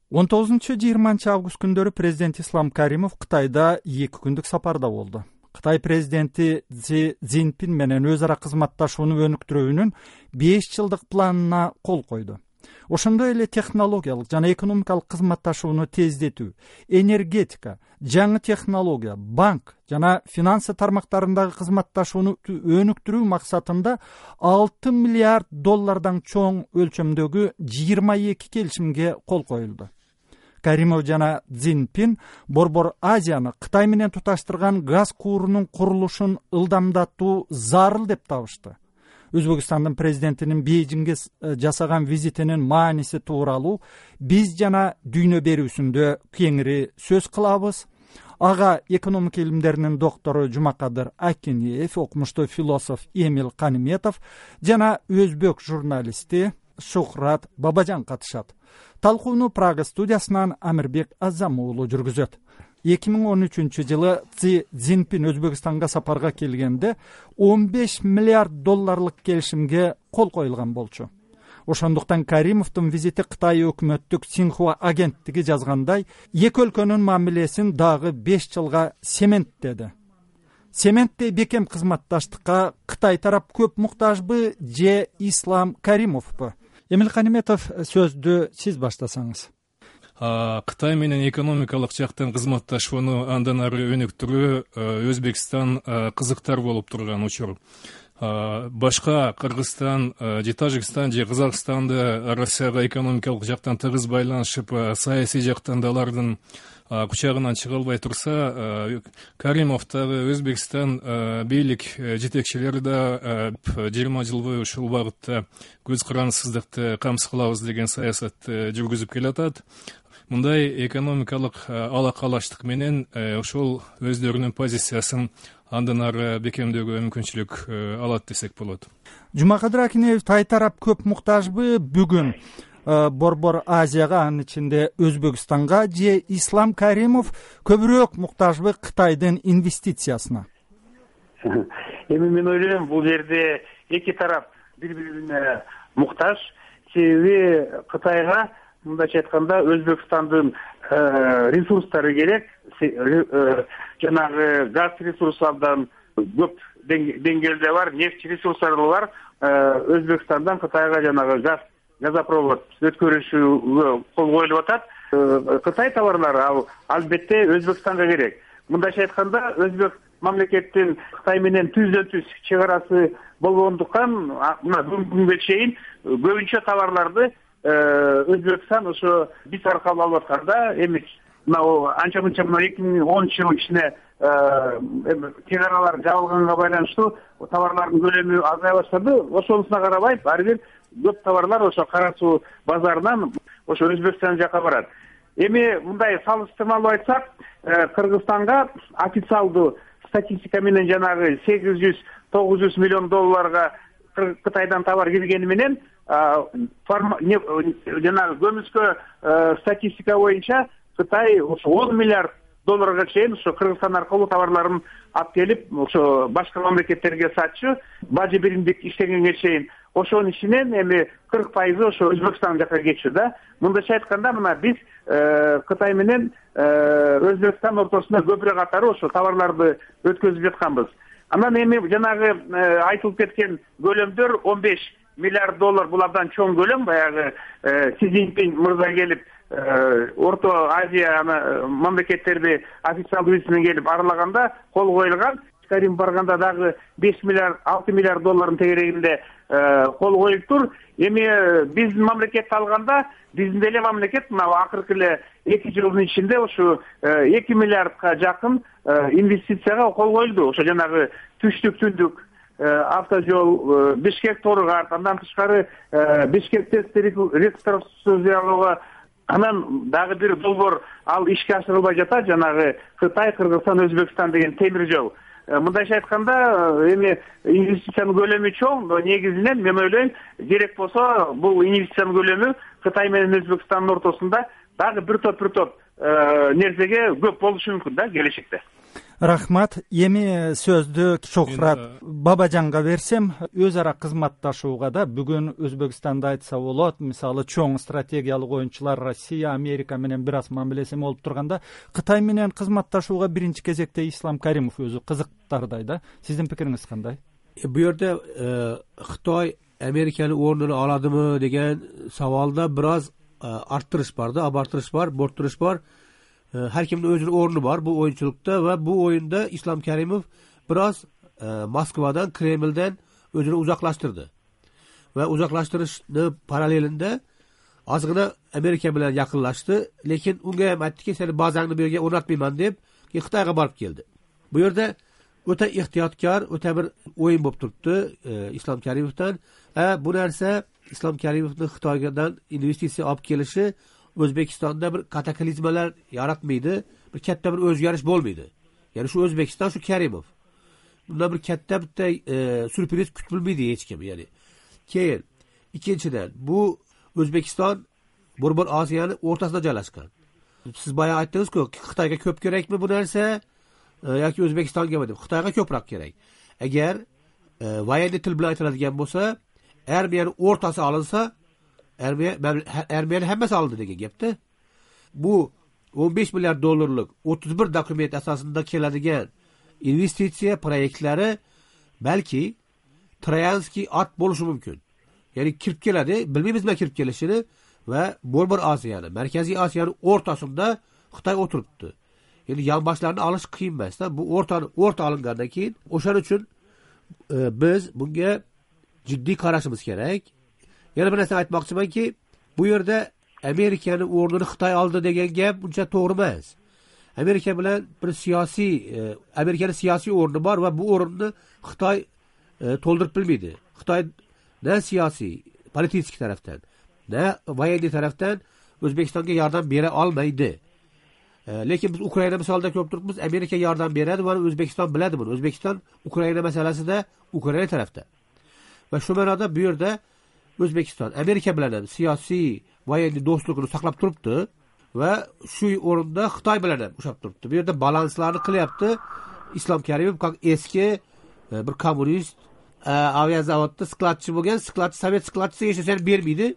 19-20 август күндөрү президент Ислам Каримов Кытайда 2 күндүк сапарда болду. Кытай президенти Си Цзиньпин менен өз ара кызматташууну өнүктүрүүнүн 5 жылдык планына кол койду. Ошондой эле технологиялык жана экономикалык кызматташууну тездетүү, энергетика, жаңы технология, банк жана финансы тармактарындагы кызматташууну өнүктүрүү максатында 6 миллиард доллардан чоң өлчөмдөгү 22 келишимге кол коюлду. Каримов жана Цзиньпин Борбор Азияны Кытай менен туташтырган газ куурунун курулушун ылдамдатуу зарыл деп табышты. Өзбекстандын президентинин Бейжиңге жасаган визитинин мааниси тууралуу биз жана дүйнө берүүсүндө кеңири сөз кылабыз. Ага экономика илимдеринин доктору Жумакадыр Акинеев, окумуштуу философ Эмил Каниметов жана өзбек журналисти Шухрат Бабажан катышат. Талкууну Прага студиясынан Амирбек Азамуулу жүргүзөт. 2013-жылы Си Цзиньпин Өзбекстанга сапарга келгенде 15 миллиард долларлык келишимге кол коюлган болчу. Ошондуктан Каримовдун визити Кытай өкмөттүк Синхуа агенттиги жазгандай, эки өлкөнүн мамилесин дагы 5 жылга сементтеди. Сементте бекем кызматташтыкка Кытай тарап көп муктажбы же Ислам Каримовпу? Эмил Каниметов, сөздү сиз баштасаңыз. Кытай менен экономикалык жактан кызматташууну андан ары өнүктүрүү Өзбекстан кызыктар болуп турган учур. Башка Кыргызстан же Тажикстан же Казакстанды Россияга экономикалык жактан тыгыз байланышып, саясий жактан да алардын кучагынан чыга албай турса, Каримов дагы Өзбекстан бийлик жетекчилери да 20 жыл бою ушул багытта көз карансыздыкты камсыз кылабыз деген саясатты жүргүзүп келатат. Мындай экономикалык алакалаштык менен ошол өздөрүнүн позициясын андан ары бекемдөөгө мүмкүнчүлүк алат десек болот. Жумакадыр Акинеев, Тай тарап көп муктажбы бүгүн Борбор Азияга, анын ичинде Өзбекстанга, же Ислам Каримов көбүрөөк муктажбы Кытайдын инвестициясына? Эми мен ойлойм, бул жерде эки тарап бири-бирине муктаж. Себеби Кытайга мындайча айтканда Өзбекстандын ресурстары керек. Жанагы газ ресурстардан көп деңгээлде бар, нефть ресурстары бар. Өзбекстандан Кытайга жанагы газопровод өткөрүшүгө кол коюлуп атат. Кытай товарлары албетте Өзбекстанга керек. Мындайча айтканда Өзбек мамлекеттин Кытай менен түздөн-түз чек арасы болгондуктан мына бүгүнкү күнгө чейин көбүнчө товарларды Өзбекстан ошо биз аркылуу алып атканда, эми мына анча-мынча 2010-жыл ичинде чек аралар жабылганга байланыштуу товарлардын көлөмү азая баштады. Ошонусуна карабай, ар бир көп товарлар ошо Кара Суу базарынан ошо Өзбекстан жака барат. Эми мындай салыштырмалуу айтсак, Кыргызстанга официалдуу статистика менен жанагы 800-900 миллион долларга Кытайдан товар киргени менен жанагы көмүскө статистика боюнча Кытай ошо 10 миллиард долларга чейин ошо Кыргызстан аркылуу товарларын алып келип, ошо башка мамлекеттерге сатчу, бажы биримдик иштегенге чейин. Ошонун ичинен эми 40% ошо Өзбекстан жака кетчү да. Мындайча айтканда, мына биз Кытай менен Өзбекстан ортосунда көпүрө катары ошо товарларды өткөзүп жатканбыз. Анан эми жанагы айтылып кеткен көлөмдөр 15 миллиард доллар, бул абдан чоң көлөм. Баягы Си Цзиньпин мырза келип Орто Азия мамлекеттерди официалдуу виз менен келип аралаганда кол коюлган. Карим барганда дагы 5 миллиард, 6 миллиард доллардын тегерегинде кол коюлуптур. Эми биздин мамлекетти алганда, биздин деле мамлекет мына акыркы эле 2 жылдын ичинде ошо 2 миллиардка жакын инвестицияга кол коюлду. Ошо жанагы түштүк түндүк автожол, Бишкек Торгарт, андан тышкары Бишкек тест реконструкциялоого, анан дагы бир долбоор ал ишке ашырылбай жатат, жанагы Кытай, Кыргызстан, Өзбекстан деген темир жол. Мындайча айтканда, эми инвестициянын көлөмү чоң, но негизинен мен ойлойм, керек болсо бул инвестициянын көлөмү Кытай менен Өзбекстандын ортосунда дагы бир топ нерсеге көп болушу мүмкүн да келечекте. Рахмат. Эми сөздү Шухрат Бабажанга берсем, өз ара кызматташууга да бүгүн Өзбекстанда айтса болот, мисалы чоң стратегиялык оюнчулар Россия, Америка менен бир аз мамилеси болуп турганда, Кытай менен кызматташууга биринчи кезекте Ислам Каримов өзү кызыктардай да. Сиздин пикириңиз кандай? Бу жерде Кытай Американын ордун аладымы деген сабалда бир аз арттырыш бар да, абартырыш бар, борттуруш бар. Her kimde özünün ornu var bu oyunculukta ve bu oyunda İslam Karimov biraz Moskova'dan, Kreml'den özünü uzaklaştırdı. Ve uzaklaştırışın paralelinde azgına Amerika bilen yakınlaştı. Lekin unga hem aytdı ki seni bazanını bir yerge oynatmayman deyip Xitayga barıp geldi. Bu yerde öte ihtiyatkar, öte bir oyun bolup turuptu İslam Karimov'dan. Bu nerse İslam Karimov'un Xitaydan investisiya alıp gelişi Özbekistan'da bir kataklizmalar yaratmaydı, bir katta bir özgarish bo'lmaydi. Yani şu Özbekistan, şu Karimov. Bunda bir katta bir sürpriz kütülmeydi hiç kim yani. Keyin, ikinciden, bu Özbekistan Borbor Asiyanın ortasında joylashgan. Siz bayağı aytdingiz ki, Xitayga köp kerakmi bu narsa, yoki O'zbekistonga deb. Xitayga ko'proq kerak. Agar voyenniy til bilan aytiladigan bo'lsa, Ermeniyanın o'rtasi olinsa, Ermeni hemmesi aldı degan gapda. Bu 15 milyar dolarlık 31 dokument asasında keladigan investitsiya proyektlari belki Troyanskiy at bo'lishi mumkin. Yani kirib keladi, bilmaymiz nima kirib kelishini ve Borbor Asiyani, Markaziy Asiyani o'rtasida Xitoy o'tiribdi. Yani yonboshlarni olish qiyin emas da. Bu o'rta olingandan keyin o'shaning uchun biz bunga jiddiy qarashimiz kerak. Yana bir narsa aytmoqchimanki, bu yerda Amerikanın o'rnini Xitoy oldi degan gap uncha to'g'ri emas. Amerika bilan bir siyosiy, Amerikanın siyosiy o'rni bor va bu o'rni Xitoy to'ldirib bilmaydi. Xitoy ne siyosiy, politik tarafdan, ne voyenniy tarafdan O'zbekistonga yordam bera olmaydi. Lekin biz Ukraina misolida ko'p turibmiz, Amerika yordam beradi va O'zbekiston biladi buni. O'zbekiston Ukraina masalasida Ukraina tarafda. Va shu ma'noda bu yerda O'zbekiston Amerika bilan ham siyosiy voyenniy do'stligini saqlab turibdi va shu o'rinda Xitoy bilan ham ushab turibdi. Bu yerda balanslarni qilyapti. Islom Karimov eski bir kommunist aviazavodda skladchi bo'lgan, skladchi sovet skladchisi yashashini bermaydi.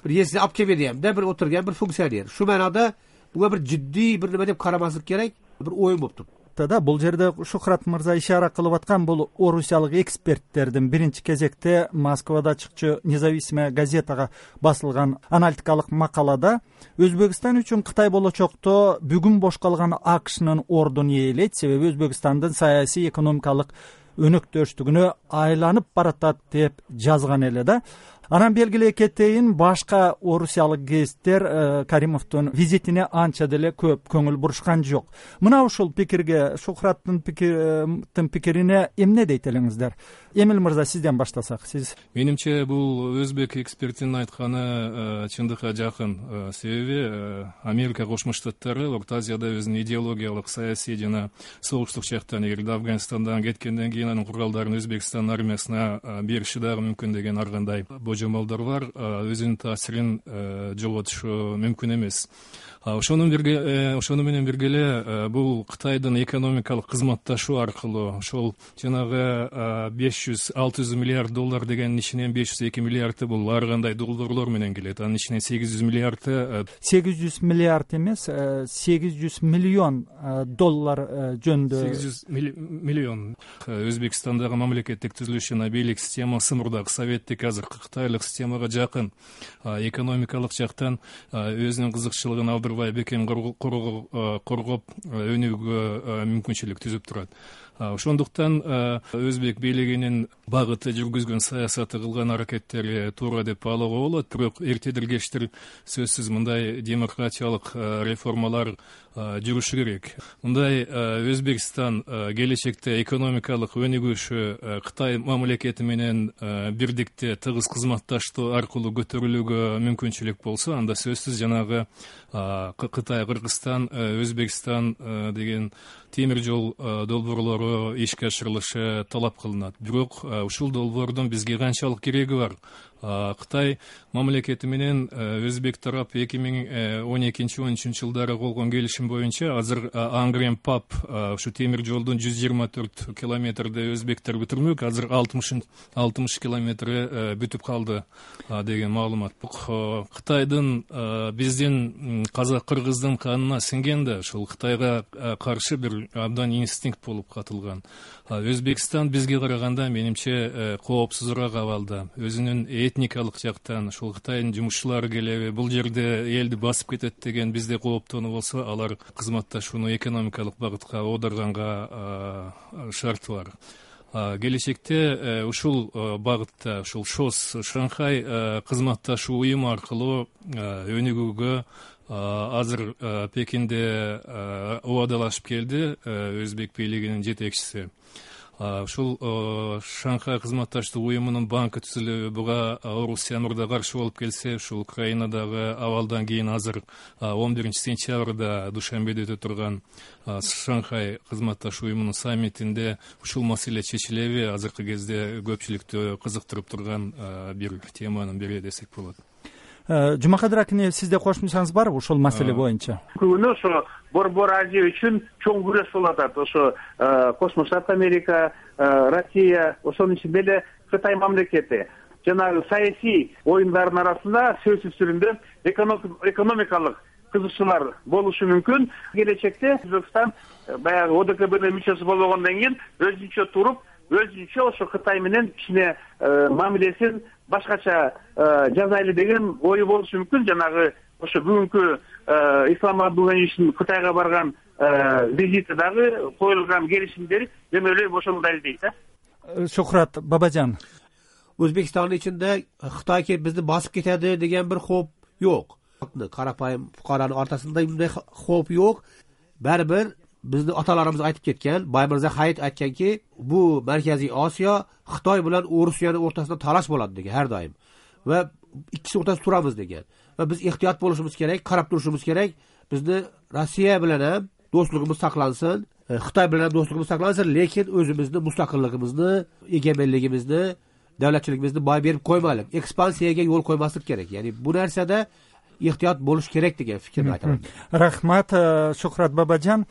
Bir yesini olib kelmaydi hamda bir o'tirgan bir funksioner. Shu ma'noda bunga bir jiddiy bir nima deb qaramaslik kerak, bir o'yin bo'lib turibdi. Да, бул жерде Шухрат мырза ишара кылып аткан бул орусиялык эксперттердин биринчи кезекте Москвада чыкчу Независимая газетага басылган аналитикалык макалада Өзбекстан үчүн Кытай болочокто бүгүн бош калган АКШнын ордун ээлейт, себеби Өзбекстандын саясий экономикалык өнөктөштүгүнө айланып баратат деп жазган эле да. Анан белгилей кетейин, башка орусиялык гезиттер Каримовдун визитине анча деле көп көңүл бурушкан жок. Мына ушул пикирге, Шухраттын пикирине эмне дейт элеңиздер? Эмил мырза, сизден баштасак. Сиз. Менимче бул өзбек экспертинин айтканы чындыкка жакын. Себеби Америка Кошмо Штаттары Орто Азияда өзүнүн идеологиялык, саясий жана согуштук жактан, эгерде Афганистандан кеткенден кийин анын куралдарын Өзбекстан армиясына бериши дагы мүмкүн деген ар кандай жомолдор бар, өзүнүн таасирин жоготушу мүмкүн эмес. Ошону менен бирге эле бул Кытайдын экономикалык кызматташуу аркылуу ошол жанагы 500-600 миллиард доллар дегенин ичинен 502 миллиарды бул ар кандай долларлор менен келет. Анын ичинен 800 миллиарды 800 миллиард эмес, 800 миллион доллар жөнүндө 800 миллион. Өзбекстандагы мамлекеттик түзүлүш жана бийлик системасы мурдагы советтик, азыркы кытайлык системага жакын. Экономикалык жактан өзүнүн кызыкчылыгын алдырбай бекем коргоп өнүүгө мүмкүнчүлүк түзүп турат. Ошондуктан өзбек бийлигинин багыты, жүргүзгөн саясаты, кылган аракеттери туура деп баалоого болот. Бирок эртедир кечтир сөзсүз мындай демократиялык реформалар жүрүшү керек. Мындай Өзбекстан келечекте экономикалык өнүгүшү Кытай мамлекети менен бирдикте тыгыз кызматташтоо аркылуу көтөрүлүүгө мүмкүнчүлүк болсо, анда сөзсүз жанагы Кытай, Кыргызстан, Өзбекстан деген темир жол долбоорлору ишке ашырылышы талап кылынат. Бирок ушул долбоордун бизге канчалык кереги бар? Кытай мамлекети менен өзбек тарап 2012-13 жылдары болгон келишим боюнча азыр Ангрен Пап ушу темир жолдун 124 километрде өзбектер бүтүрмөк, азыр 60 километри бүтүп калды деген маалымат. Бул Кытайдын биздин казак кыргыздын канына сиңген да, ушул Кытайга каршы бир абдан инстинкт болуп катылган. Өзбекстан бизге караганда менимче коопсузураак абалда. Өзүнүн этникалык жактан ушул Кытайдын жумушчулары келеби, бул жерде элди басып кетет деген бизде кооптонуу болсо, алар кызматташууну экономикалык багытка оодарганга шарты бар. Келечекте ушул багытта, ушул ШОС, Шанхай кызматташуу уюму аркылуу өнүгүүгө азыр Пекинде убадалашып келди өзбек бийлигинин жетекчиси. Ушул Шанхай кызматташтык уюмунун банкы түзүлүбү буга Орусия мурда каршы болуп келсе, ушул Украинадагы абалдан кийин азыр 11 сентябрда Душанбеде өтө турган Шанхай кызматташуу уюмунун саммитинде ушул маселе чечилеби, азыркы кезде көпчүлүктү кызыктырып турган бир теманын бири десек болот. Жумакадыр акине, сизде кошумчаңыз барбы ушул маселе боюнча? Күнү ошо Борбор Азия үчүн чоң күрөш болуп атат. Ошо Космо Штат Америка, Россия, ошонун ичинде эле Кытай мамлекети. Жанагы саясий оюндардын арасында сөзсүз түрүндө экономикалык кызыкчылар болушу мүмкүн. Келечекте Өзбекстан баягы ОДКБнын мүчөсү болгондон кийин өзүнчө туруп, өзүнчө ошо Кытай менен кичине мамилесин башкача жасайлы деген ою болушу мүмкүн. Жанагы ошо бүгүнкү Ислам Абдулганиевичтин Кытайга барган визити дагы коюлган келишимдер мен ойлойм ошону далилдейт. Шухрат Бабажан, Өзбекстандын ичинде Кытай келип бизди басып кетеди деген бир хоп жок. Карапайым фукаранын ортосунда мындай хоп жок. Баары бир биздин аталарыбыз айтып кеткен, Баймырза Хайит айтканки, бу Марказий Осиё Кытай менен Орусиянын ортосунда талаш болот деген ар дайым. Ва иккиси ортосунда турабыз деген. Ва биз ыктыят болушубуз керек, карап турушубуз керек. Бизди Россия менен ham достугубуз саклансын, Кытай менен достугубуз саклансын, лекин өзүбүздүн мустакыллыгыбызды, эгемендигибизди, давлатчылыгыбызды бай берип коймайлык, экспансияга жол коймаслык керек. Яни бу нерседе ыктыят болуш керек деген фикирди айтамын. Рахмат, Шухрат Бабажан.